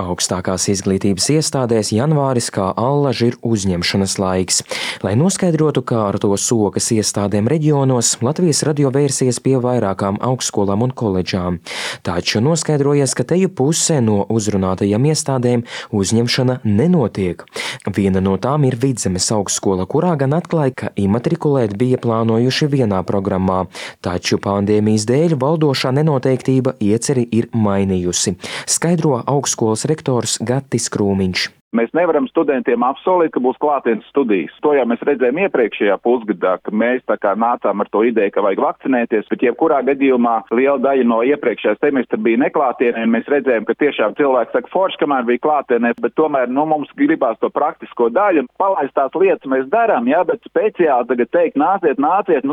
Augstākās izglītības iestādēs janvāris kā allaži ir uzņemšanas laiks. Lai noskaidrotu, kā ar to sokas iestādēm reģionos, Latvijas radio vērsies pie vairākām augstskolām un koledžām. Taču noskaidrojies, ka teju pusē no uzrunātajām iestādēm uzņemšana nenotiek. Viena no tām ir Vidzemes augstskola, kurā gan atklāja, ka imatrikulēt bija plānojuši vienā programmā, taču pandēmijas dēļ valdošā nenoteiktība ieceri ir mainījusi, skaidro augstskolas rektors Gatis Krūmiņš. Mēs nevaram studentiem apsolīt, ka būs klātienes studijas. To jau mēs redzējām iepriekšējā pusgadā, ka mēs tā kā nācām ar to ideju, ka vajag vakcinēties, bet jebkurā gadījumā liela daļa no iepriekšējā semestra bija neklātienē, un mēs redzējām, ka tiešām cilvēki saka forši, kamēr bija klātienē, bet tomēr mums gribās to praktisko daļu. Palaistās lietas mēs darām, bet speciāli tagad teikt, nāciet,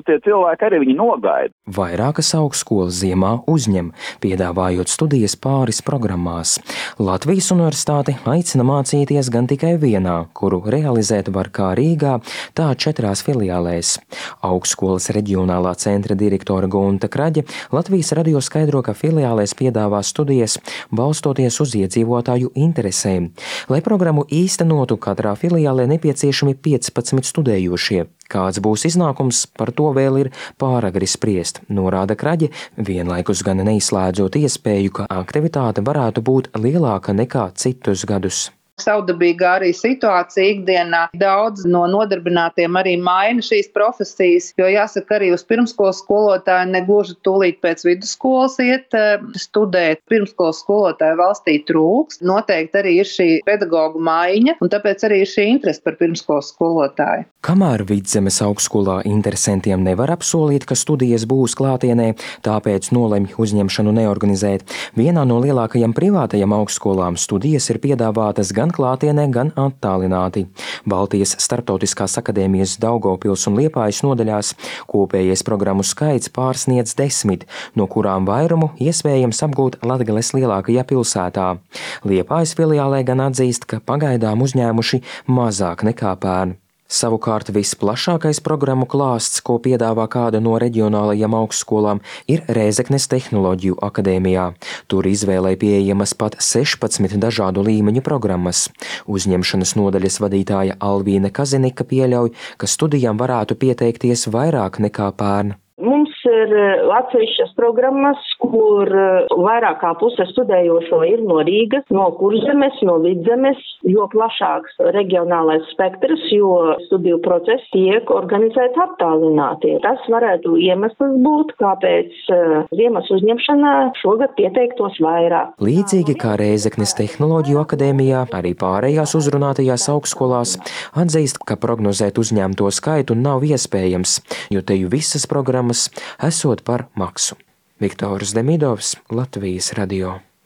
tie cilvēki arī viņi nogaida. Vairākas augstskolas ziemā uzņem, piedāvājot studijas pāris programmās. Latvijas universitāte aicina mācīt gan tikai vienā, kuru realizēt var kā Rīgā, tā 4 filiālēs. Augstskolas reģionālā centra direktore Gunta Kraģe Latvijas radio skaidro, ka filiālēs piedāvā studijas balstoties uz iedzīvotāju interesēm. Lai programmu īstenotu, katrā filiālē nepieciešami 15 studējošie. Kāds būs iznākums, par to vēl ir pāragri spriest, norāda Kraģe, vienlaikus gan neizslēdzot iespēju, ka aktivitāte varētu būt lielāka nekā citus gadus. Savdabīgā arī situācija ikdienā. Daudz no nodarbinātiem arī maina šīs profesijas, jo jāsaka arī uz pirmskolas skolotāju negluži tūlīt pēc vidusskolas iet studēt. Pirmskolas skolotāju valstī trūks. Noteikti arī ir šī pedagoģu maiņa, un tāpēc arī ir šī interese par pirmskolas skolotāju. Kamēr Vidzemes augstskolā interesantiem nevar apsolīt, ka studijas būs klātienē, tāpēc nolemj uzņemšanu neorganizēt, vienā no lielākajām privātajām augstskolām studijas ir piedāvātas gan klātienē, gan attālināti. Baltijas Starptautiskās akadēmijas Daugavpils un Liepājas nodaļās kopējais programmu skaits pārsniedz 10, no kurām vairumu iespējams apgūt Latgales lielākajā pilsētā. Liepājas filiālē gan atzīst, ka pagaidām uzņēmuši mazāk nekā pērn. Savukārt visplašākais programmu klāsts, ko piedāvā kāda no reģionālajām augstskolām, ir Rēzeknes Tehnoloģiju akadēmijā. Tur izvēlei pieejamas pat 16 dažādu līmeņu programmas. Uzņemšanas nodaļas vadītāja Alvīne Kazinika pieļauj, ka studijām varētu pieteikties vairāk nekā pērn. Mums ir atsevišķas programmas, kur vairāk kā puse studējošo ir no Rīgas, no Kurzemes, no Vidzemes, jo plašāks reģionālais spektrs, jo studiju process tiek organizēts attālināti. Tas varētu iemesls būt, kāpēc ziemas uzņemšanā šogad pieteiktos vairāk. Līdzīgi kā Rēzeknes Tehnoloģiju akadēmijā, arī pārējās uzrunātajās augstskolās atzīst, ka prognozēt uzņemto skaitu nav iespējams, jo teju visas programmas esot par maksu. Viktors Demidovs, Latvijas radio.